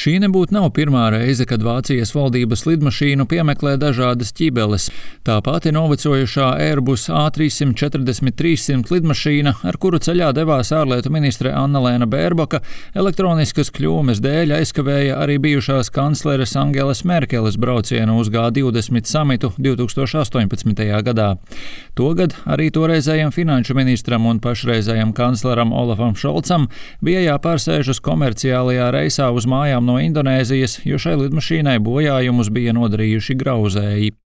Šī nebūtu nav pirmā reize, kad Vācijas valdības lidmašīnu piemeklē dažādas ķibeles. Tā pati novecojušā Airbus A340-300 lidmašīna, ar kuru ceļā devās ārlietu ministre Annalēna Bērboka, elektroniskas kļūmes dēļ aizkavēja arī bijušās kancleres Angelas Merkeles braucienu uz G20 samitu 2018. gadā. Togad arī toreizējam finanšu ministram un pašreizējam kancleram Olafam Šolcam bija jāpārsēžas komerciālajā reisā uz mājām no Indonēzijas, jo šai lidmašīnai bojājumus bija nodarījuši grauzēji.